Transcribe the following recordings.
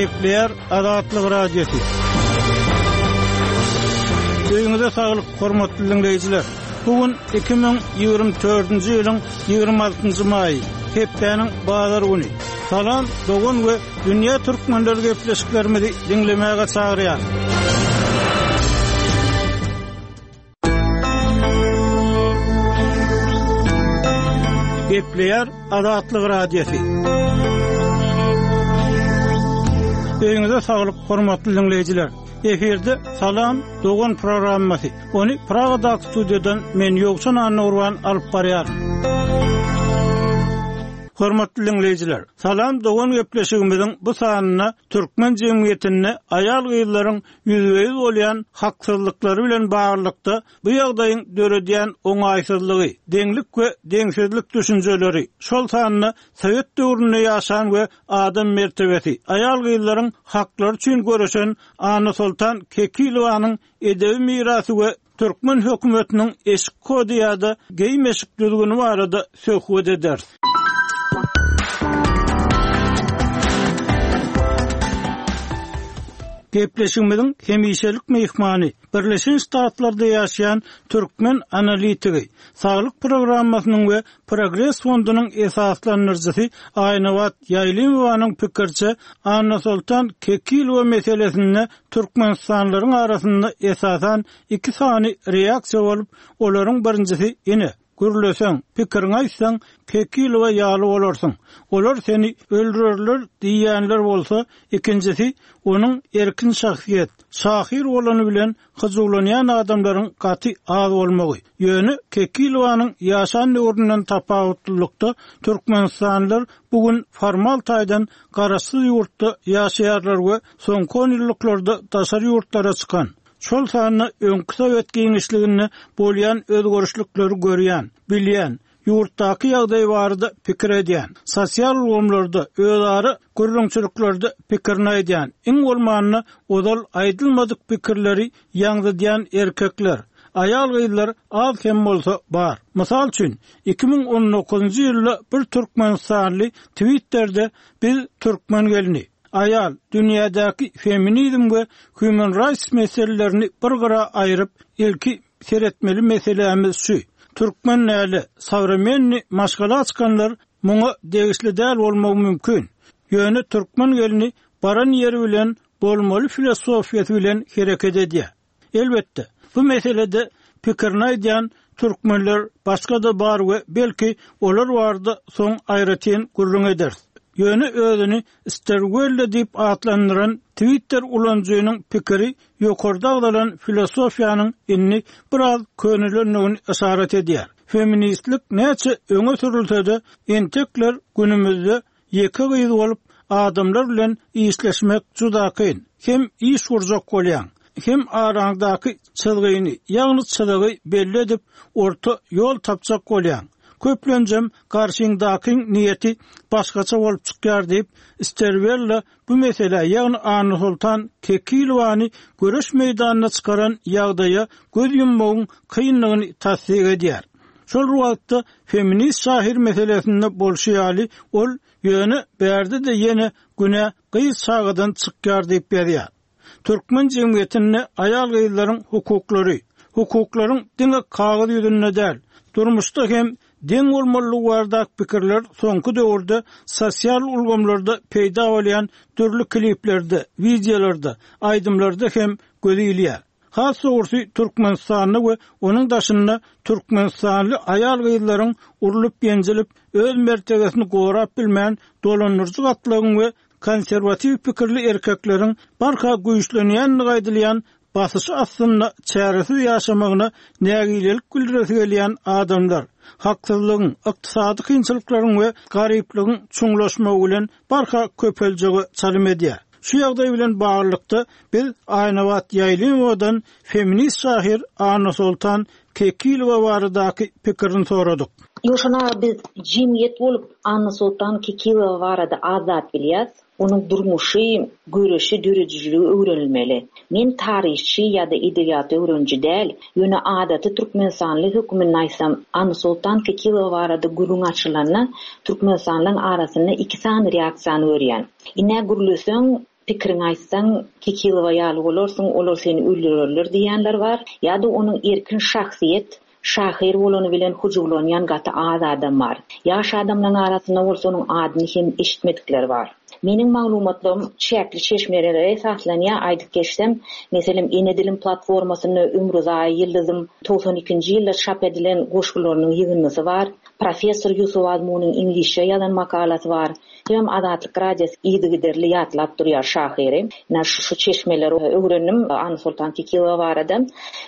Gepleýär Azatlyk Radiosy. Öýüňize saglyk, hormatly diňleýjiler! Bu gün 2024-nji ýylyň 26-njy maýy, hepdäniň bazar güni. Salam, dogan we dünýä türkmenleri gepleşiklerimizi diňlemäge çagyrýar. Gepleýär Azatlyk Radiosy. Öýüňize saglyk, hormatly diňleýjiler. Efirde Salam, dogan programmasy. Ony Pragadaky studiýadan men Ýowşan Annagurban alyp barýaryn. Hormatly diňleýjiler, Salam dogan gepleşigimiziň bu sanynda türkmen jemgyýetinde aýal-gyzlaryň ýüzbe-ýüz bolýan haksyzlyklary bilen baglylykda bu ýagdaýyň döredýän oňaýsyzlygy, deňlik we deňsizlik düşünjeleri, şol sanda sowet döwründe ýaşan we adam mertebesi, aýal-gyzlaryň haklary üçin göreşen Annasoltan Kekilowanyň edebi mirasy we Türkmen hökümetiniň eşik kody ýa-da geýim-eşik düzgüni barada söhbet ederis. Gepleşigimiziň hemişelik myhmany, Birleşen Ştatlarda ýaşaýan türkmen analitigi, Saglyk programmasynyň we Progres fondunyň esaslandyryjysy Aýnabat Ýaýlymowanyň pikiriçe, Annasoltan Kekilowa meselesinde türkmenistanlylaryň arasynda esasan iki sany reaksiýa bolup, olaryň birinjisi ine, gürleseň, pikiriňi aýtsaň, Kekilowa ýaly bolarsyň, olar seni öldürerler diýýänler bolsa, ikinjisi onuň erkin şahsyýet, şahyr bolany bilen hyjuwlanýan adamlaryň gaty az bolmagy. Ýöne Kekilowanyň ýaşan döwründen tapawutlylykda türkmenistanlylar bu gün formal taýdan garaşsyz ýurtda ýaşaýarlar we soňky onýyllyklarda daşary ýurtlara çykan, şol sanda öňki sowet giňişliginde bolýan özgerişlikleri görýän, bilýän, ýurtdaky ýagdaý barada pikir edýän, sosial ulgamlarda, özara gürrüňçiliklerde pikirini aýdýan, iň bolmanda ozal aýdylmadyk pikirleri ýaňzydýan erkekler, aýal-gyzlar az hem bolsa bar. Mysal üçin, 2019-njy ýylda bir türkmenistanly Twitterde Biz türkmen gelni, aýal, dünýädäki feminizm we human rights meselelerini bir gyra aýryp, ilki seretmeli meselämiz şu, türkmen däli, sowremennyý maşgala çykanlar muňa degişli däl bolmagy mümkin. Ýöne türkmen gelni baran ýeri bilen bolmaly filosofiýasy bilen hereket edýär. Elbetde, bu meselede pikirini aýdýan türkmenler başga-da bar we belki olar barada soň aýratyn gürrüň ederis. Ýöne özüni Sterwella diýip atlandyran Twitter ulanyjynyň pikiri ýokarda agzalan filosofiýanyň indi biraz könelendigini yşarat edýär. Feministlik näçe öňe sürülse-de, entekler günümizde ýeke gyz bolup, adamlar bilen işleşmek juda kyn. Hem iş gurjak bolýaň, hem araňdaky çyzgyny, ýagny çyzygy belli edip, orta ýol tapjak bolýaň. Köplenjem garşyňdakyň niýeti başgaça bolup çykýar diýip, Sterwella Bu meselä, ýagny Annasoltan Kekilowany göreş meýdanyna çykaran ýagdaýa göz ýummagyň kyndygyny tassyk edýär. Şol bir wagtda feminist şahyr meselesinde bolşy ýaly, ol Ýöne bärde-de ýene günä gyz çagadan çykýar diýip ýazýar. Türkmen jemgyýetinde aýal-gyzlaryň hukuklary, hukuklaryň diňe kagyz ýüzünde däl, durmuşda hem deň bolmalydygy baradaky pikirler soňky döwürde sosial ulgamlarda peýda bolýan dürli kliplerde, wideolarda, aýdymlarda hem göze ilýär. Has dogrusy, Türkmenistanda we onuň daşynda türkmenistanly aýal-gyzlaryň urlup-ýenjilip, öz mertebesini gorap bilmän, dolandyryjy gatlagyň we konserwatiw pikirli erkekleriň barha güýçlenýändigi aýdylýan basyşy astynda çäresiz ýaşamagyna nägilelik bildiresi gelýän adamlar, haksyzlygyň, ykdysady kynçylyklaryň we garyplygyň çuňlaşmagy bilen barha köpeljege çalym edýär. Şu ýagdaý bilen baglylykda, biz Aýnabat Ýaýlymowadan feminist şahyr Annasoltan Kekilowa baradaky pikirini soradyk. Ýowşan aga biz jemgyýet bolup Annasoltan Kekilowa barada az zat bilýäs. Onuň durmuşy, göreşi, döredijiligi öwrenilmeli. Men taryhçy ýa-da edebiýat öwreniji däl, ýöne adaty türkmenistanly hökmünde aýtsam, Annasoltan Kekilowa barada gürrüň açylanda türkmenistanlylaryň arasynda iki sany reaksiýany görýän. Ine gürleseň. Pikiriňi aýtsaň, Kekilowa ýaly bolarsyň, olar seni öldürerler diýýänler bar. Ýa-da onuň erkin şahsyýet, şahyr bolany bilen hyjuwlanýan gaty az adam bar. Ýaş adamlaryň arasynda bolsa onuň adyny hem eşitmedikler bar. Meniň maglumatlarym çäkli çeşmelere esaslanýar, aýdyp geçsem, meselem, Ene dilim platformasynda Ömrüzaýy Ýyldyzyň 92-nji ýylda çap edilen goşgularynyň ýygyndysy bar, professor Ýusuf Azmunyň iňlisçe ýazan makalasy bar. Hemem Azatlyk Radiosy yzygiderli ýatlap durýar şahyry. Ine şu çeşmeleri öwrendim Annasoltan Kekilowa barada.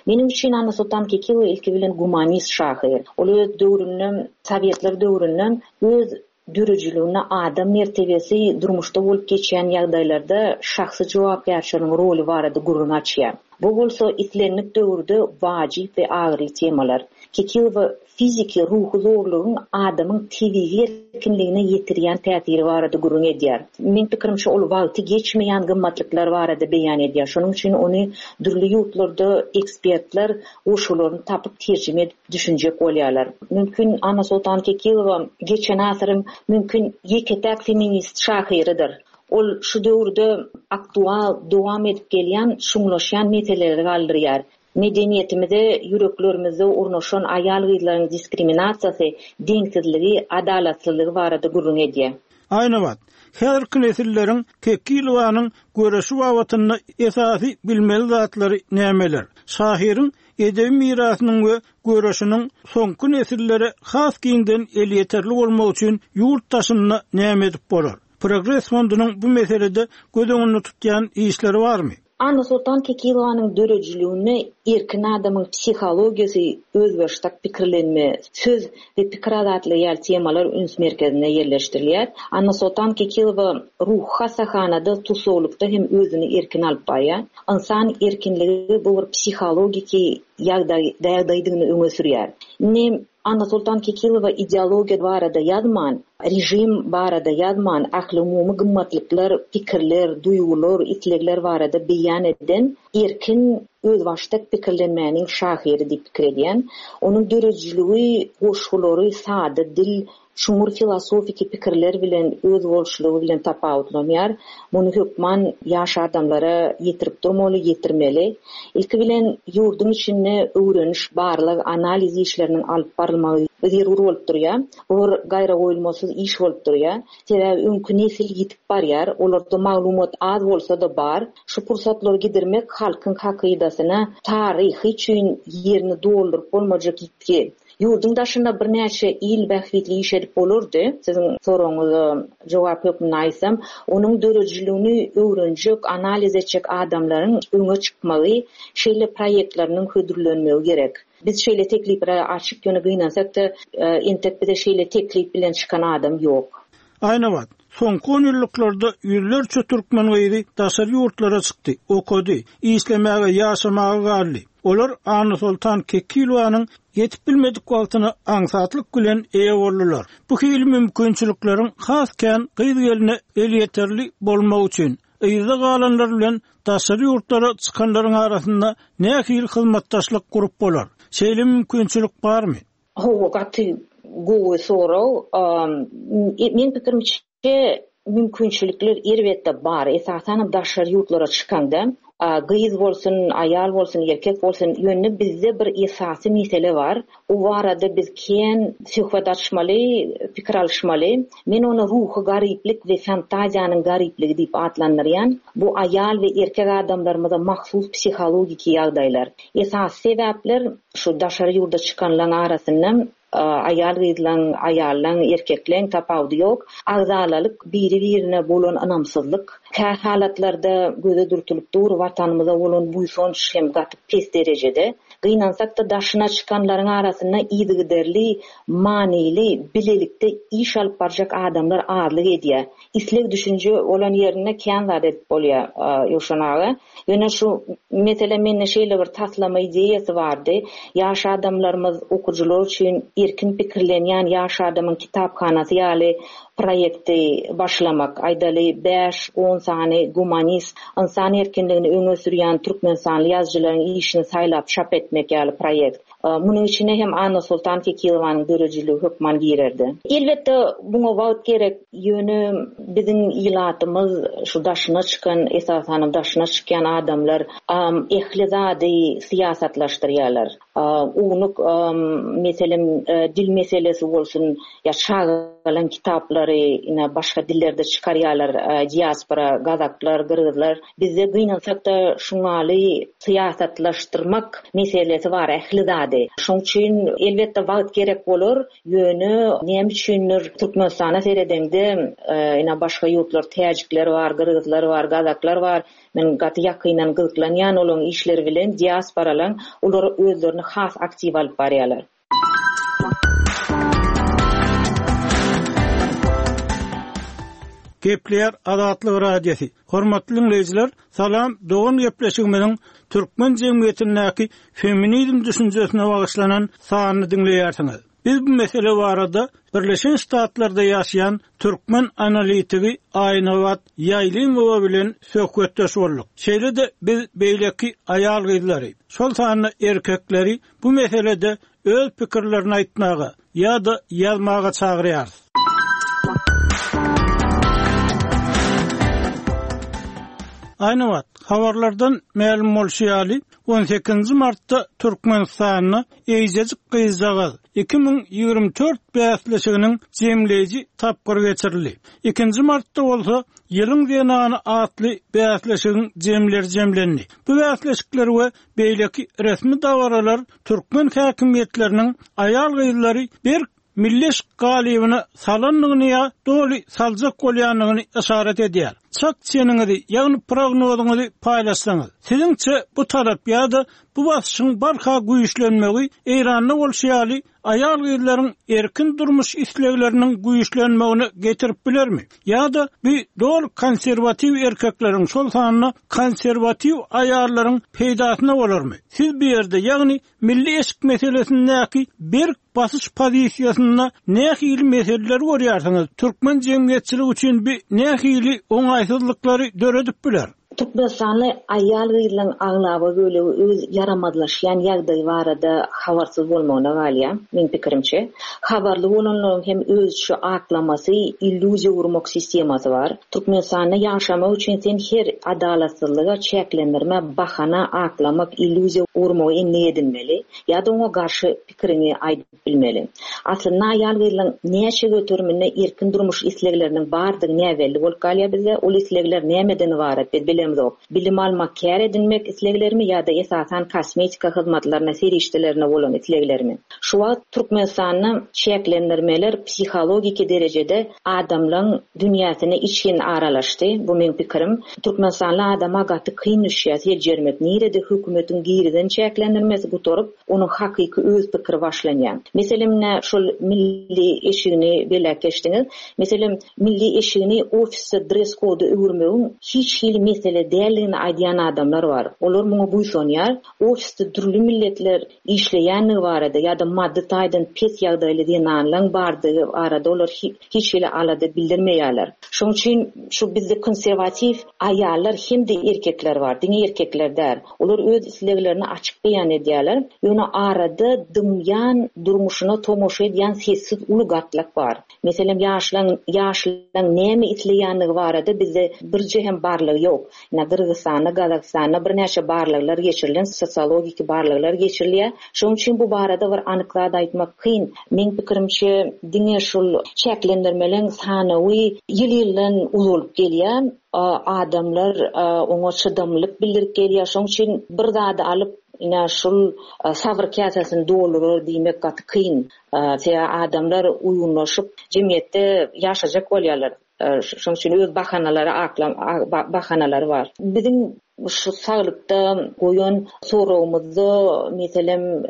Meniň üçin Annasoltan Kekilowa ilki bilen gumanist şahyr. Ol öz döwründe, sowetler döwründe öz döredijiliginde adam mertebesi, durmuşda bolup geçýän ýagdaýlarda şahsy jogapkärçiligiň roly barada gürrüň açýar. Bu bolsa islendik döwürde wajyp we agyryly temalar. Kekilowa fiziki, ruhy zorlugyň adamyň tebigy erkinligine ýetirýän täsiri barada gürrüň edýär. Meň pikirimçe, ol wagty geçmeýän gymmatlyklar barada beýan edýär. Şonuň üçin ony dürli ýurtlarda ekspertler goşgularyny tapyp terjime edip düşünjek bolýarlar. Mümkin Annasoltan Kekilowa geçen asyryň mümkin ýeke-täk feminist şahyrydyr. Ol şu döwürde aktual, dowam edip gelýän, çuňlaşýan meseleleri galdyrýar. Medeniýetimize, ýüreklerimizde ornaşan aýal-gyzlaryň diskriminasiýasy, deňsizligi, adalatsyzlygy barada gürrüň edýär. Aýnabat, häzirki nesilleriň Kekilowanyň göreşi babatynda esasy bilmeli zatlary nämeler? Şahyryň edebi mirasynyň we göreşiniň soňky nesillere has giňden elýeterli bolmagy üçin ýurt daşynda näme edip bolar? Progres fondunyň bu meselede göz öňünde tutýan işleri barmy? Annasoltan Kekilowanyň döredijiliginde erkin adamyň psihologiýasy, özbaşdak pikirlenme, söz we pikir azatlygy ýaly temalar üns merkezinde ýerleşdirilýär. Annasoltan Kekilowa ruhy hassahanada tussaglykda hem özüni erkin alyp barýar. Ynsan erkinligi bu bir psihologiki ýagdaýdygyny öňe sürýär. Indi Annasoltan Kekilowa ideologiýa barada ýazman, režim barada ýazman, ählumumy gymmatlyklar, pikirler, duýgular, islegler barada beýan eden erkin, özbaşdak pikirlenmäniň şahyry diýip pikir edýän. Onuň döredijiligi, goşgulary sada dil, çuňňur filosofiki pikirler bilen, özboluşlygy bilen tapawutlanýar. Muny hökman ýaş adamlara ýetirip durmaly, ýetirmeli. Ilki bilen, ýurduň içinde öwreniş, barlag, analiz işleriniň alyp barylmagy zerur bolup durýar. Bu bir gaýragoýulmasyz iş bolup durýar. Sebäbi öňki nesil ýitip barýar, olarda maglumat az bolsa-da bar. Şu pursatlary gidirmek halkyň hakydasyna taryhy üçin ýerini dolduryp bolmajak ýitgi. Ýurduň daşynda birnäçe il bähbitli iş edip bolardy. Siziň soragyňyza jogap hökmünde aýtsam, onuň döredijiligini öwrenjek, analiz etjek adamlaryň öňe çykmagy, şeýle proýektleriniň hödürlenmegi gerek. Biz şeýle tekliplere açyk, ýöne gynansak-da, entek bize şeýle teklip bilen çykan adam ýok. Aýnabat, soňky onýyllyklarda ýüzlerçe türkmen gyzy daşary ýurtlara çykdy, okady, işlemäge, ýaşamaga galdy. Olar Annasoltan Kekilowanyň ýetip bilmedik wagtyna aňsatlyk bilen eýe boldular. Bu hili mümkinçilikleriň has kän gyz-gelne elýeterli bolmagy üçin, yzda galanlar bilen daşary ýurtlara çykanlaryň arasynda nähili hyzmatdaşlyk gurup bolar? Şeýle mümkinçilik barmy? Hawa, gaty gowy sorag. Meň pikirimçe, mümkinçilikler elbetde bar. Esasanam daşary ýurtlara çykaňda, gyz bolsun, aýal bolsun, erkek bolsun, ýöne bizde bir esasy mesele bar. O barada biz kän söhbet açmaly, pikir alyşmaly. Men ony ruhy garyplyk we fantaziýanyň garyplygy diýip atlandyrýan. Bu aýal we erkek adamlarymyza mahsus psihologiki ýagdaýlar. Esasy sebäpler Şu daşary ýurda çykanlaň arasynda aýal-gyzlaň, aýallaň, erkekleň tapawudy ýok. Agzalalyk, biri-birine bolan ynamsyzlyk, kä halatlarda göze dürtülip dur, Watanymyza bolan buýsanç hem gaty pes derejede. Gynansak-da, daşyna çykanlaryň arasynda yzygiderli, manyly, bilelikde iş alyp barjak adamlar azlyk edýär. Isleg-düşünje bolan ýerinde kän zat edip bolýar, Ýowşan aga. Ýöne şu mesele mende şeýle bir taslama ideýasy bardy. Ýaş adamlarymyz, okyjylar üçin erkin pikirlenýän ýaş adamyň kitaphanasy ýaly proýekti başlamak. Aýdaly, bäş-on sany gumanist, ynsan erkinligini öňe sürýän türkmenistanly ýazyjylaryň işini saýlap çap etmek ýaly proýekt. Munuň içine hem Annasoltan Kekilowanyň döredijiligi hökman girerdi. Elbetde, muňa wagt gerek, ýöne biziň ilatymyz şu daşyna çykan, esasanam daşyna çykýan adamlar ähli zady syýasatlaşdyrýarlar. Ownuk, meselem, dil meselesi bolsun ýa çagalaň kitaplary ine başga dillerde çykarýarlar, diaspora, gazaklar, gyrgyzlar. Bizde gynansak-da şuňaly syýasatlaşdyrmak meselesi bar ähli zady. Şoň üçin elbetde wagt gerek bolar, ýöne näme üçindir Türkmenistana seredeňde ine başga ýurtlar täjikler bar, gyrgyzlar bar, gazaklar bar. Men gaty ýakyndan gyzyklanýan olaň işleri bilen diasporalaň olar özlerini has aktiw alyp barýalar. Gepleýär Azatlyk Radiosy. Hormatly diňleýjiler, Salam dogan gepleşigimiziň türkmen jemgyýetindäki feminizm düşünjesine bagyşlanan sanyny diňleýärsiňiz. Biz bu mesele barada Birleşen Ştatlarda ýaşaýan türkmen analitigi Aýnabat Ýaýlymowa bilen söhbetdeş bolduk. Şeýle-de biz beýleki aýal-gyzlary, şol sanda erkekleri bu meselede öz pikirlerini aýtmaga ýa-da ýazmaga çagyrýarys. Aýnabat, habarlardan mälim bolşy ýaly, on sekizinji martda Türkmenistanda Eýjejik gyzjagaz 2024 bäsleşiginiň jemleýji tapgyry geçirildi. Ikinji martda bolsa Ýylyň zenany atly bäsleşigiň jemleri jemlendi. Bu bäsleşikler we beýleki resmi dabaralar türkmen häkimiýetleriniň aýal-gyzlary berk milli eşik galybyna salandygyny ýa doly saljak bolýandygyny yşarat edýär. Çak çeniňizi, ýagny prognozyňyzy paýlaşsaňyz. Siziňçe bu talap ýa-da bu basyşyň barha güýçlenmegi Eýranda bolşy ýaly aýal-gyzlaryň erkin durmuş islegleriniň güýçlenmegine getirip bilermi? Ýa-da bu doly konserwatiw erkekleriň, şol sanda konserwatiw aýallaryň peýdasyna bolarmy? Siz bu ýerde, ýagny milli eşik meselesindäki berk basyş pozisiýasynda nähili meseleleri görýärsiňiz? Türkmen jemgyýetçiligi üçin bu nähili oňaýsyzlyklary döredip biler? Türkmenistanly aýal-gyzlaryň aglaba bölegi öz ýaramazlaşýan ýagdaýy barada habarsyz bolmagyna galýar, meň pikirimçe. Habarly bolanlaryň hem özüçe aklamasy, illýuziýa gurmak sistemasy bar. Türkmenistanda ýaşamak üçin sen her adalatsyzlyga, çäklendirmä bahana, aklamak, illýuziýa gurmagy endik edinmeli ýa-da oňa garşy pikiriňi aýdyp bilmeli. Aslynda aýal-gyzlaryň näçe göteriminde erkin durmuş islegleriniň bardygy näbelli bolup galýar bizde. Ol islegler nämeden ybarat biz bilemzok. Bilim almak, kär edinmek isleglerimi ýa-da esasan kosmetika hyzmatlaryna, serişdelerine bolan isleglerimi? Şu wagt Türkmenistanda çäklendirmeler psihologiki derejede adamlaň dünýäsine içgin aralaşdy. Bu meň pikirim. Türkmenistanly adama gaty kyn düşýär seljermek nirede hökümetiň girizen çäklendirmesi gutaryp, onuň hakyky öz pikiri başlanýar. Meselem ine şol milli eşigini belläp geçdiňiz. Meselem milli eşigini ofisde dress koda öwürmegiň hiç hili mesele däldigini aýdýan adamlar bar. Olar muňa buýsanýar. Ofisde dürli milletler işleýändigi barada ýa-da maddy taýdan pes ýagdaýly zenanlaň bardygy barada olar hiç hili alada bildirmeýärler. Şonuň üçin şu bizde konserwatiw aýallar hem-de erkekler bar, diňe erkekler däl. Olar öz isleglerini açyk beýan edýärler. Ýöne arada dymýan, durmuşyna tomaşa edýän sessiz uly gatlak bar. Meselem, ýaşlaň ýaşlaň näme isleýändigi barada bizde birje hem barlag ýok. Ine, Gyrgyzystanda, Gazagystanda birnäçe barlaglar geçirilen, sosiologiki barlaglar geçirilýär. Şonuň üçin bu barada bir anyk zat aýtmak kyn. Meň pikirimçe, diňe şul çäklendirmeleň sanawy ýyl-ýyldan uzalyp gelýär. Adamlar oňa çydamlylyk bildirip gelýär. Şonuň üçin bir zady alyp, ine, şul sabyr käsesini doldurar diýmek gaty kyn. Sebäbi adamlar uýgunlaşyp, jemgyýetde ýaşajak bolýarlar. Şonuň üçin öz bahanalary akla bahanalary bar. Biziň şu saglykda goýan soragymyzda, meselem,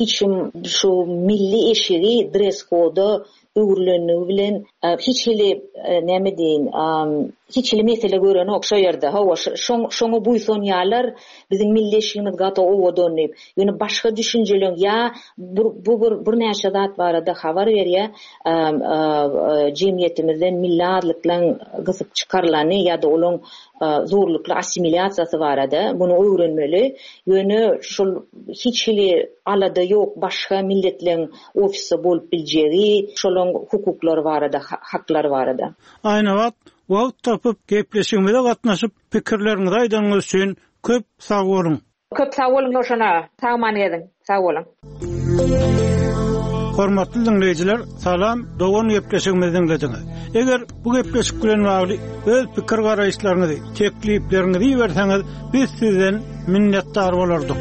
hiç kim şu milli eşigi dress-koda öwrülenligi bilen. Hiç hili näme diýeýin, hiç hili mesele görenok şo ýerde. Hawa, şoňa buýsanýarlar, biziň milli eşigimiz gaty owadan diýip. Ýöne başga düşünjeleň ýa bu bir birnäçe zat barada habar berýär, jemgyýetimizden milli azlyklaň gysyp çykarylany ýa-da olaň zorlukly assimilýasiýasy barada muny öwrenmeli. Ýöne şol hiç hili alada ýok başga milletleň ofisde bolup biljegi, şolaň hukuklary barada, haklary barada. Aýnabat, wagt tapyp gepleşigimize gatnaşyp pikirleriňizi aýdanyňyz üçin köp sag boluň! Köp sag boluň Ýowşan aga. Sag-aman geziň. Sag boluň. Hormatly diňleýjiler, Salam dogan gepleşigimizi diňlediňiz. Eger bu gepleşik bilen bagly öz pikir garaýyşlaryňyzy, teklipleriňizi iberseňiz, biz sizden minnetdar bolardyk.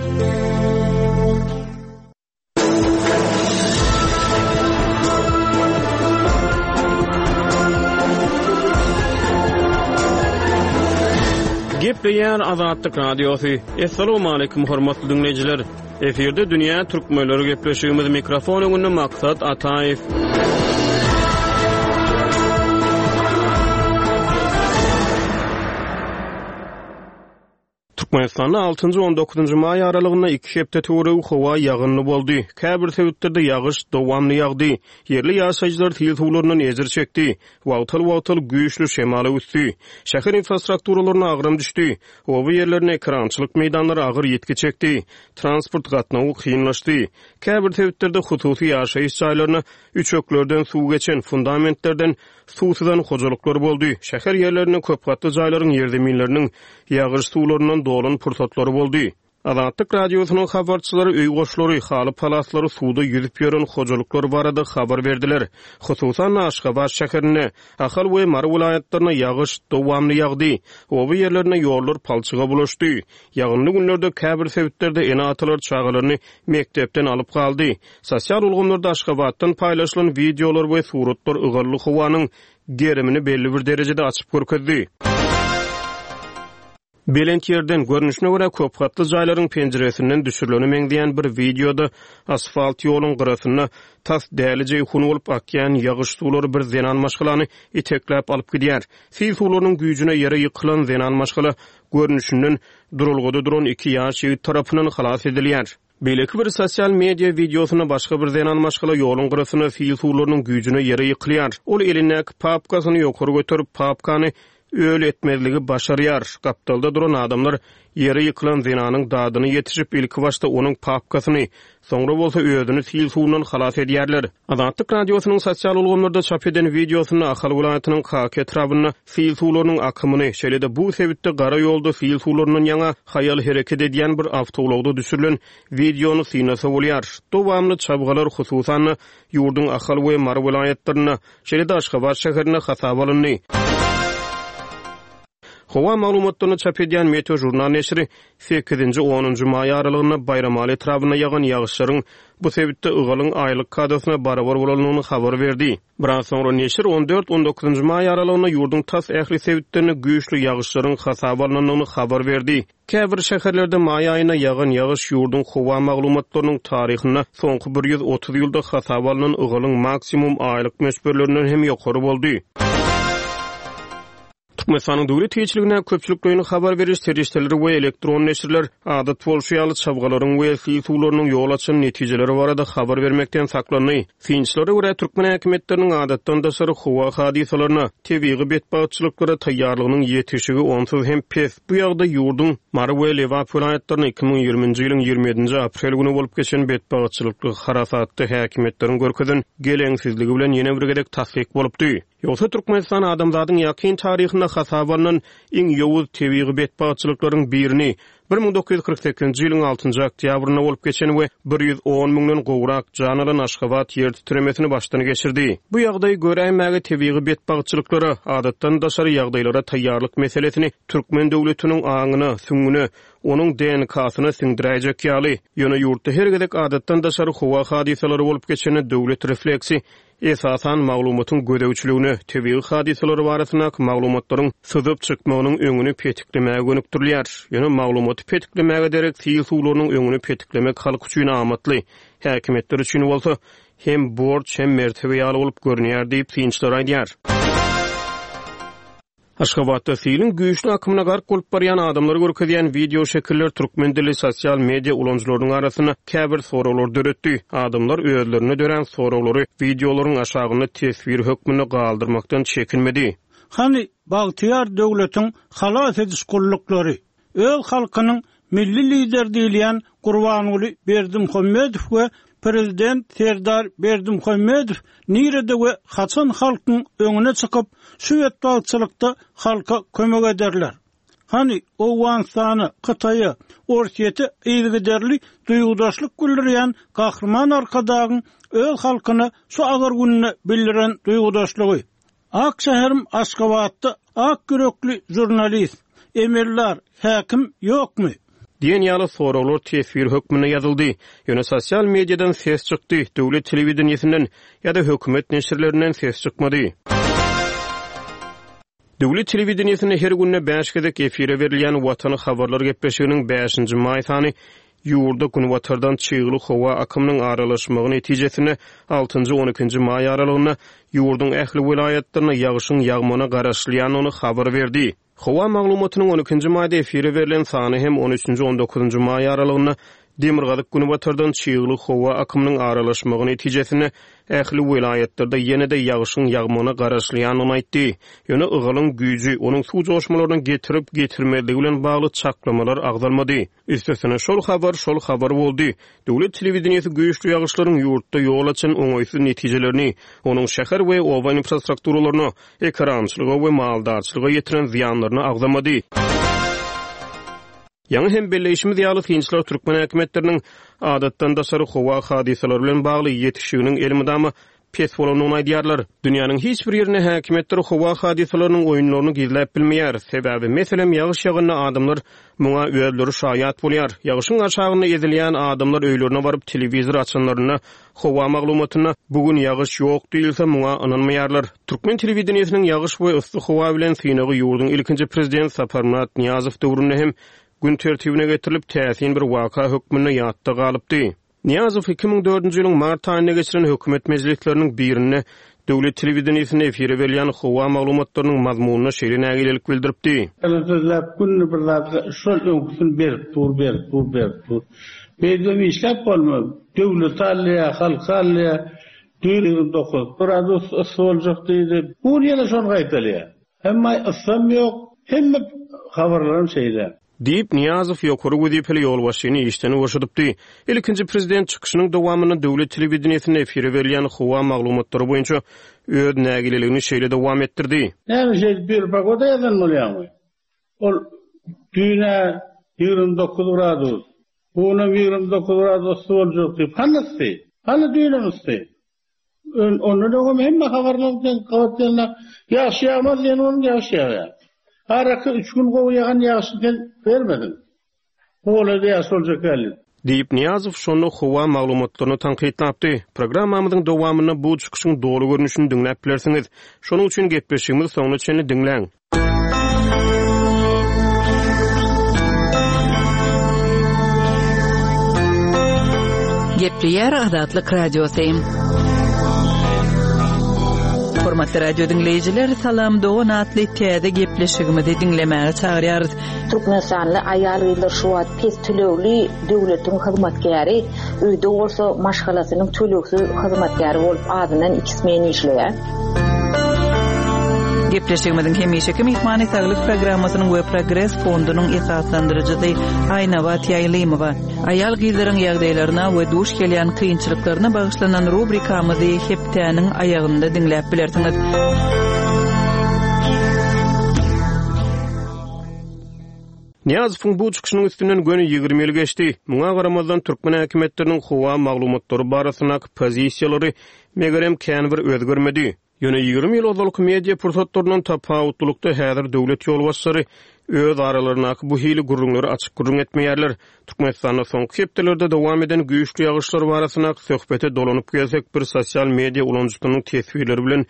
Gepleýär Azatlyk Radiosy. Assalamualaikum hormatly dinleýjiler. Efirde dünýä türkmenleri gepleşigimiz mikrofon öňünde Maksat Ataýew. Türkmenistanda altynjy, on dokuzynjy maý aralygynda iki hepde töweregi howa ýagynly boldy. Käbir sebitlerde ýagyş dowamly ýagdy. Ýerli ýaşaýjylar sil suwlaryndan ejir çekdi. Wagtal-wagtal güýçli şemal öwüsdi. Şäher infrastrukturalaryna agram düşdi. Oba ýerlerinde ekerançylyk meýdanlary agyr ýitgi çekdi. Transport gatnawy kynlaşdy. Käbir sebitlerde hususy ýaşaýyş jaýlaryna üçeklerden suw geçen, fundamentlerden Suw syzan hojalyklar boldy. Şäher ýerlerinde köpgatly jaýlaryň ýerzeminleriniň ýagyş suwlaryndan dolan pursatlary boldy. Azatlyk Radiosynyň habarçylary öý goşlary, haly-palaslary suwda ýüzüp ýören hojalyklar barada habar berdiler. Hususan-da, Aşgabat şäherinde, Ahal we Mary welaýatlarynda ýagyş dowamly ýagdy. Oba ýerlerinde ýollar palçyga bulaşdy. Ýagynly günlerde käbir sebitlerde ene-atalar çagalaryny mekdepden alyp galdy. Sosial ulgamlarda Aşgabatdan paýlaşylan wideolar we suratlar ygally howanyň gerimini belli bir derejede açyp görkezdi. Belent ýerden, görnüşine görä, köpgatly jaýlaryň penjiresinden düşürilene meňzeýän bir wideoda asfalt ýoluň gyrasynda tas däli jeýhun bolup akýan ýagyş suwlary bir zenan maşgalany itekläp alyp gidýär. Sil suwlarynyň güýjüne ýere ýykylan zenan maşgala, görnüşinden, duralgada duran iki ýaş ýigit tarapyndan halas edilýär. Beýleki bir sosial media wideosynda başga bir zenan maşgala ýoluň gyrasynda sil suwlarynyň güýjüne ýere ýykylýar. Ol elindäki papkasyny ýokary göterip, papkany öl etmezligi başarýar. Gapdalda duran adamlar ýere ýykylan zenanyň dadyna ýetişip, ilkibaşda onuň papkasyny, soňra bolsa özüni sil suwundan halas edýärler. Azatlyk Radiosynyň sosial ulgamlarda çap eden wideosynda Ahal welaýatynyň Kaka etrabynda sil suwlarynyň akymyny, şeýle-de bu sebitde gara ýolda sil suwlaryndan ýaňa haýal hereket edýän bir awtoulagda düşürilen wideony synlasa bolýar. Dowamly çabgalar, hususan-da, ýurduň Ahal we Mary welaýatlarynda, şeýle-de Aşgabat şäherinde hasaba alyndy. Howa maglumatlaryny çap edýän Meteožurnal neşiri sekizinji, onunjy maý aralygynda Baýramaly etrabynda ýagan ýagyşlaryň bu sebitde ygalyň aýlyk kadasyna barabar bolandygyny habar berdi. Biraz soňra neşir on dört, on dokuzynjy maý aralygynda ýurduň tas ähli sebitlerinde güýçli ýagyşlaryň hasaba alnandygyny habar berdi. Käbir şäherlerde maý aýynda ýagan ýagyş ýurduň howa maglumatlarynyň taryhynda soňky 130 ýylda hasaba alnan ygalyň maksimum aýlyk möçberlerinden hem ýokary boldy. Türkmenistanyň döwlet eýeçiligindäki köpçülikleýin habar beriş serişdeleri we elektron neşirler, adat bolşy ýaly, çabgalaryň we sil suwlarynyň ýol açan netijeleri barada habar bermekden saklandy. Synçylara görä, türkmen häkimiýetleriniň adatdan daşary howa hadysalaryna, tebigy betbagtçylyklara taýýarlygynyň ýetişigi onsuz hem pes. Bu ýagdaý ýurduň Mary we Lebap welaýatlarynda 2020-nji ýylyň 27-nji aprel güni bolup geçen betbagtçylykly harasatda häkimiýetleriň görkezen geleňsizligi bilen ýene bir gezek tassyk bolupdy. Ýogsa Türkmenistan adamzadyň ýakyn taryhynda hasaba alnan iň ýowuz tebigy betbagtçylyklaryň birini, 1948-nji ýylyň altynjy oktýabrynda bolup geçen we 110 müňden gowrak jan alan Aşgabat ýer titremesini başdan geçirdi. Bu ýagdaý göräýmäge tebigy betbagtçylyklara, adatdan daşary ýagdaýlara taýýarlyk meselesini türkmen döwletiniň aňyna, süňňüne, onuň DNK-syna siňdiräýjek ýaly. Ýöne ýurtda her gezek adatdan daşary howa hadysalary bolup geçende döwlet refleksi Esasan, maglumatyň gözegçiligine, tebigy hadysalar barasyndaky maglumatlaryň syzyp çykmagynyň öňüni petiklemäge gönükdirilýär. Ýöne maglumaty petiklemäge derek sil suwlarynyň öňüni petiklemek halk üçin amatly, häkimiýetler üçin bolsa, Hem borç, hem mertebe ýaly bolup görünýär diýip, synçylar aýdýar. Aşgabatda siliň güýçli akymyna gark bolup barýan adamlary görkezýän wideo şekiller türkmen dilli sosial media ulanyjylarynyň arasynda käbir soraglary döretdi. Adamlar özlerinde dörän soraglary wideolaryň aşagynda teswir hökmünde galdyrmakdan çekinmedi. Hany bagtyýar döwletiň halas ediş gulluklary? Öz halkynyň Milli Lideri diýilýän Gurbanguly Berdimuhamedow we Prezident Serdar Berdimuhamedow nirede we haçan halkyň öňüne çykyp, şu betbagtçylykda halka kömek ederler? Hany, Owganystana, Hytaýa, Orsýete yzygiderli duýgudaşlyk bildirýän Gahryman Arkadagyň öz halkyna şu agyr günde bildiren duýgudaşlygy? Ak şäherim Aşgabatda ak ýürekli žurnalist, emeldar, häkim ýokmy? Diýen ýaly soraglar teswir hökmünde ýazyldy. Ýöne sosial mediadan ses çykdy, döwlet telewideniýesinden ýa-da hökümet neşirlerinden ses çykmady. Döwlet telewideniýesinde her günde bäş gezek efire berilýän Watan habarlar gepleşiginiň bäşinji maý sany ýurda günbatardan çygly howa akymynyň aralaşmagy netijesinde altynjy-on ikinji maý aralygynda ýurduň ähli welaýatlarynda ýagşyň ýagmagyna garaşylýandygyny habar berdi. Howa maglumatynyň on ikinji maýda efire berlen sany hem on üçünji-on dokuzynjy maý aralygynda demirgazyk-günbatardan çygly howa akymynyň aralaşmagy netijesinde ähli welaýatlarda ýene-de ýagşyň ýagmagyna garaşylýandygyny aýtdy. Ýöne ygalyň güýji, onuň suw joşmalaryna getirip-getirmezligi bilen bagly çaklamalar agzalmady. Üstesine, şol habar şol habar boldy. Döwlet telewideniýesi güýçli ýagyşlaryň ýurtda ýol açan oňaýsyz netijelerini, onuň şäher we oba infrastrukturalaryna, ekerançylyga we maldarçylyga ýetiren zyýanlaryny agzamady. Ýaňy hem belleýşimiz ýaly, synçylar türkmen häkimiýetleriniň adatdan daşary howa hadysalary bilen bagly ýetişiginiň elmydama pes bolandygyny aýdýarlar. Dünýäniň hiç bir ýerinde häkimiýetler howa hadysalarynyň oýunlaryny gizläp bilmeýär. Sebäbi, meselem, ýagyş ýaganda adamlar muňa özleri şaýat bolýar. Ýagyşyň aşagynda ezilýän adamlar öýlerine baryp telewizor açanlarynda howa maglumatynda bu gün ýagyş ýok diýilse muňa ynanmaýarlar. Türkmen telewideniýesiniň ýagyş we yssy howa bilen synagy ýurduň ilkinji prezident Saparmyrat Nyýazow döwründe hem gün tertibine getirilip, täsin bir waka hökmünde ýatda galypdy. Nyýazow 2004-nji ýylyň mart aýynda geçiren hökümet mejlisleriniň birinde döwlet telewideniýesinde efire berilýän howa maglumatlarynyň mazmunyna şeýle nägilelik bildiripdi. Ýalan sözläp günde bir zat şol öňküsini berip dur berip dur berip dur. Beýdibem işläp bolmaz. Döwleti alýa halky alýa. Düýn 29 gradus yssy boljak diýdi. Bu gün ýene şony gaýtalýa. Emma yssam ýok, hemme habarlaram şeýle. Diýip, Nyýazow ýokary wezipeli ýolbaşçyny işden boşadypdy. Ilkinji prezident çykyşynyň dowamynda döwlet telewideniýesinde efire berilýän howa maglumatlary boýunça öz nägileligini şeýle dowam etdirdi. Näme şeýdip bir pogoda ýazan bolýaňmy? Ol düýn-ä 29 gradus, bu günem 29 gradus yssy boljak diýip, hany yssy? Hany düýnem yssy? Ondan öňem hemme habarlar bilen gabat gelende ýagyş ýagmaz diýen bolup ýagyş ýagýar. Araky üç gün gowy ýagan ýagyşy sen bermediň. Bu golaýda ýagyş boljak däl diýip. Diýip, Nyýazow şonda howa maglumatlaryny tankytlapdy. Programmamyzyň dowamynda bu çykyşyň doly görnüşini diňläp bilersiňiz. Şonuň üçin gepleşigimizi soňuna çenli diňläň. Gepleýär Azatlyk Radiosy. Hormatly radio diňleýjiler, Salam dogan atly täze gepleşigimizi diňlemäge çagyrýarys. Türkmenistanly aýal-gyzlar şu wagt pes tölegli döwletiň hyzmatkäri, öýde bolsa maşgalasynyň tölegsiz hyzmatkäri bolup azyndan iki smen işleýär. Gepleşigimiziň hemişeki myhmany Saglyk programmasynyň we Progres fondunyň esaslandyryjysy Aýnabat Ýaýlymowa. Aýal-gyzlaryň ýagdaýlaryna we duş gelýän kynçylyklaryna bagyşlanan rubrikamyzy hepdäniň aýagynda diňläp bilersiňiz. Nyýazowyň bu çykyşynyň üstünden göni 20 ýyl geçdi. Muňa garamazdan, türkmen häkimiýetleriniň howa maglumatlary barasyndaky pozisiýalary megerem, kän bir özgermedi. Ýöne 20 ýyl ozalky media pursatlaryndan tapawutlylykda häzir döwlet ýolbaşçylary öz aralaryndaky bu hili gürrüňleri açyk gürrüň etmeýärler. Türkmenistanda soňky hepdelerde dowam eden güýçli ýagyşlar barasyndaky söhbete dolanyp gelsek, bir sosial media ulanyjysynyň teswirleri bilen.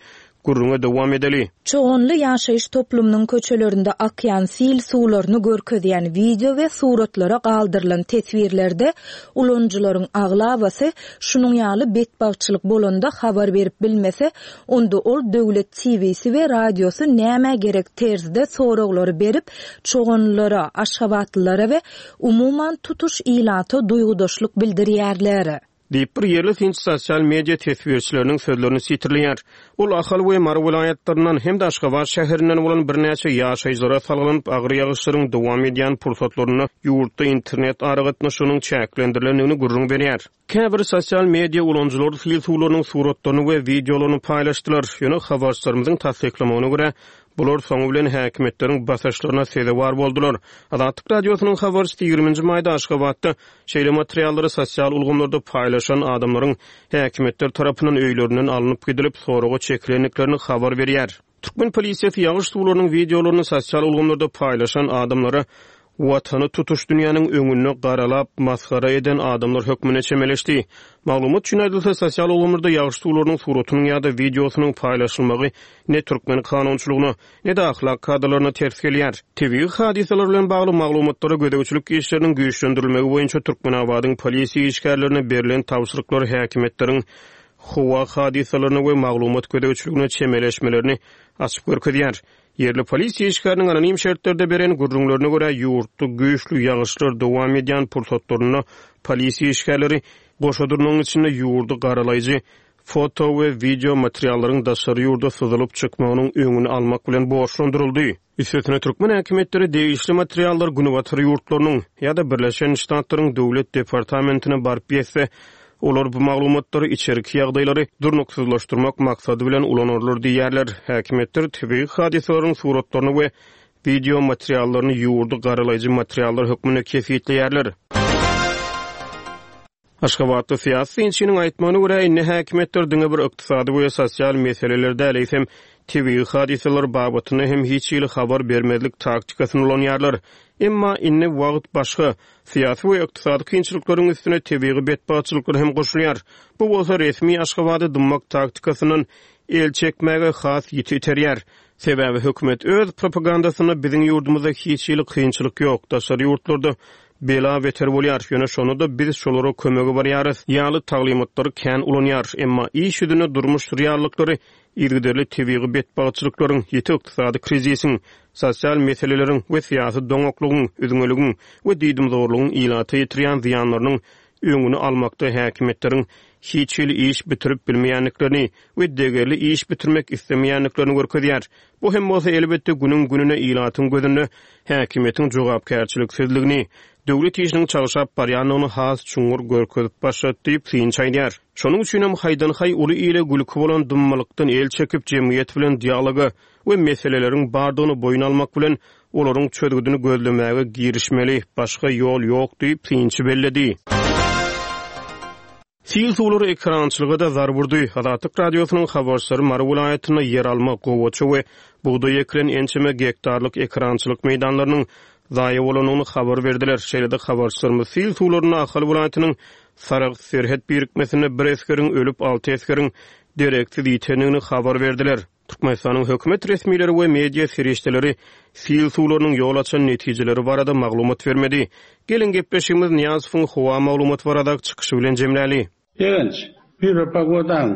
Gürrüňe dowam edeli. Çoganly ýaşaýyş toplumynyň köçelerinde akýan sil suwlaryny görkezýän wideo we suratlara galdyrylan teswirlerde ulanyjylaryň aglabasy şunuň ýaly betbagtçylyk bolanda habar berip bilmese, onda ol döwlet TW-si we radiosy nämä gerek terzde soraglary berip, çoganlylara, aşgabatlylara we umuman tutuş ilata duýgudaşlyk bildirýärler. Diýip, bir ýerli synçy sosial media teswirçileriniň sözlerini sitirleýär. Ol Ahal we Mary welaýatlaryndan hem-de Aşgabat şäherinden bolan birnäçe ýaşaýjylara salgylanyp, agyr ýagyşlaryň dowam edýän pursatlarynda ýurtda internet aragatnaşygynyň çäklendirilendigini gürrüň berýär. Käbir sosial media ulanyjylary sil suwlarynyň suratlaryny we wideolaryny paýlaşdylar, ýöne habarçylarymyzyň tassyklamagyna görä, bular soňy bilen häkimiýetleriň basyşlaryna sezewar boldular. Azatlyk Radiosynyň habarçysy ýigriminji maýda Aşgabatda Şeýle materiallary sosial ulgamlarda paýlaşan adamlaryň häkimiýetler tarapyndan öýlerinden alnyp gidilip, soraga çekilendiklerini habar berýär. Türkmen polisiýasy ýagyş suwlarynyň wideolaryny sosial ulgamlarda paýlaşan adamlara Watany tutuş dünýäniň öňünde garalap, masgara eden adamlar hökmünde çemeleşdi. Maglumat üçin aýdylsa, sosial ulgamlarda ýagyş suwlarynyň suratynyň ýa-da wideosynyň paýlaşylmagy ne türkmen kanunçylygyna, ne-de ahlak kadalaryna ters gelýär. Tebigy hadysalar bilen bagly maglumatlara gözegçilik işleriniň güýçlendirilmegi boýunça Türkmenabadyň polisiýa işgärlerine berlen tabşyryklar häkimiýetleriň howa hadysalaryna we maglumat gözegçiligine çemeleşmelerini açyp görkezýär. Ýerli polisiýa işgäriniň anonim şertlerde beren gürrüňlerine görä, ýurtda güýçli ýagyşlar dowam edýän pursatlarynda polisiýa işgärleri goşa durnagyň içinde ýurdy garalaýjy foto we wideo materiallaryň daşary ýurda syzylyp çykmagynyň öňüni almak bilen borçlandyryldy. Üstesine türkmen häkimiýetleri degişli materiallar günbatar ýurtlarynyň ýa-da Birleşen Ştatlaryň Döwlet departamentine baryp ýetse, olar bu maglumatlary içerki ýagdaýlary durnuksyzlaşdyrmak maksady bilen ulanarlar diýýärler. Häkimiýetler tebigy hadysalaryň suratlaryny we wideo materiallaryny ýurdy garalaýjy materiallar hökmünde kesgitleýärler. Aşgabatly syýasy synçynyň aýtmagyna görä, indi häkimiýetler diňe bir ykdysady we sosial meseleler däl, eýsem, tebigy hadysalar babatynda hem hiç hili habar bermezlik taktikasyny ulanýarlar. Emma indi wagt başga. Syýasy we ykdysady kynçylyklaryň üstüne tebigy betbagtçylyklar hem goşulýar. Bu bolsa resmi Aşgabady dymmak taktikasyndan el çekmäge has ýiti iterýär. Sebäbi hökümet öz propagandasynda biziň ýurdumyzda hiç hili kynçylyk ýok, daşary ýurtlarda bela-beter bolýar, ýöne şonda-da biz şolara kömege barýarys ýaly taglymatlary kän ulanýar. Emma iş ýüzünde durmuş reallyklary yzygiderli tebigy betbagtçylyklaryň, ýiti ykdysady krizisiň, sosial meseleleriň we syýasy doňaklygyň, üzňeligiň we diýdimzorlugyň ilata ýetirýän zyýanlarynyň öňüni almakda häkimiýetleriň hiç hili iş bitirip bilmeýändiklerini we degerli iş bitirmek islemeýändiklerini görkezýär. Bu hem bolsa, elbetde, günüň-gününe ilatyň gözünde häkimiýetiň jogapkärçiliksizligini, döwlet işiniň çagşap barýandygyny has çuňňur görkezip başlady diýip, synçy aýdýar. Şonuň üçinem haýdan-haý uly ile gülki bolan dymmalykdan el çekip, jemgyýet bilen dialoga we meseleleriň bardygyny boýun almak bilen, olaryň çözgüdini gözlemäge girişmeli, başga ýol ýok diýip, synçy belledi. Sil suwlary ekerançylyga-da zarb urdy. Azatlyk Radiosynyň habarçylary Mary welaýatynda ýeralma, gowaça we bugdaý ekilen ençeme gektarlyk ekerançylyk meýdanlarynyň zaýa bolandygyny habar berdiler. Şeýle-de habarçylarymyz sil suwlarynda Ahal welaýatynyň Saragt serhet birikmesinde bir esgeriň ölüp, alty esgeriň dereksiz ýitendigini habar berdiler. Türkmenistanyň hökümet resmileri we media serişdeleri sil suwlarynyň ýol açan netijeleri barada maglumat bermedi. Geliň, gepleşigimizi Nyýazowyň howa maglumaty baradaky çykyşy bilen jemläli. Begenç, Býuro pogodaň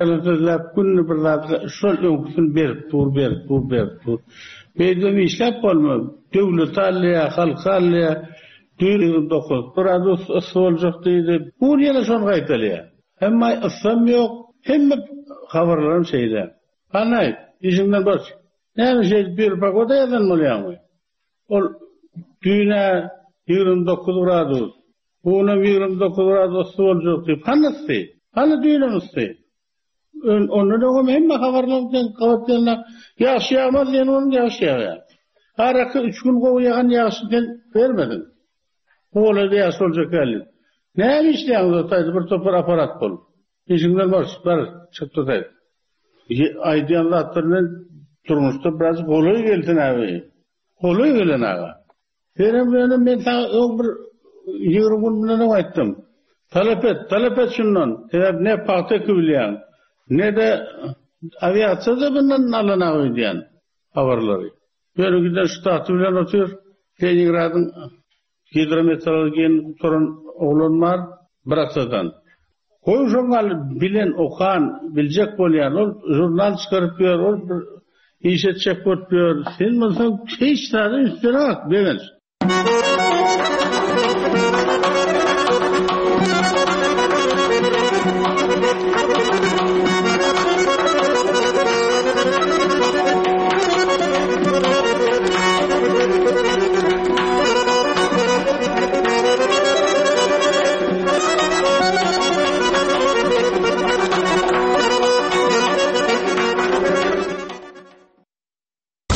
ýalan sözläp günde bir zat şol öňküsini berip dur berip dur berip dur. Beýdibem işläp bolmaz. Döwleti alýa, halky alýa. Düýn 29 gradus yssy boljak diýdi. Bu gün ýene şony gaýtalýa. Emma yssam ýok, hemme habarlaram şeýle. Hany, işiňden boş. Näme şeýdip bir pogoda ýazan bolýaňmy? Ol düýn-ä 29 gradus, bu günem 29 gradus yssy boljak diýip, hany yssy? Hany düýnem yssy? Ondan öňem hemme habarlar bilen gabat gelende, ýagyş ýagmaz diýen bolun ýagyş ýagýar. Araky üç gün gowy ýagan ýagyşy sen bermediň. Bu golaýda ýagşy boljak däl diýip. Näme işleýäňiz o taýda bir topar apparat bolup? Işiňden boş, bar, çyk tutaý. Aýdýan zatlar bilen durmuşda biraz golaý gelsin abi. Golaý gelen aga. Senem ýöne men saňa öň bir 20 gün mundan öň aýtdym. Talap et, talap et şundan. Sebäp ne pagta ekibilýäň, ne-de. Awiasiýa-da bundan alanak öýdýän habarlary. Ýöne giden ştaty bilen otyr. Leningradyň gidrometeorologiýany gutaran oglan bar, bir atadan. Goý şoňňaly bilen, okan, biljek bolýan, ol žurnal çykaryp ýör, ol bir iş etjek bolup ýör. Sen bolsaň hiç zada üns bereňok, Begenç.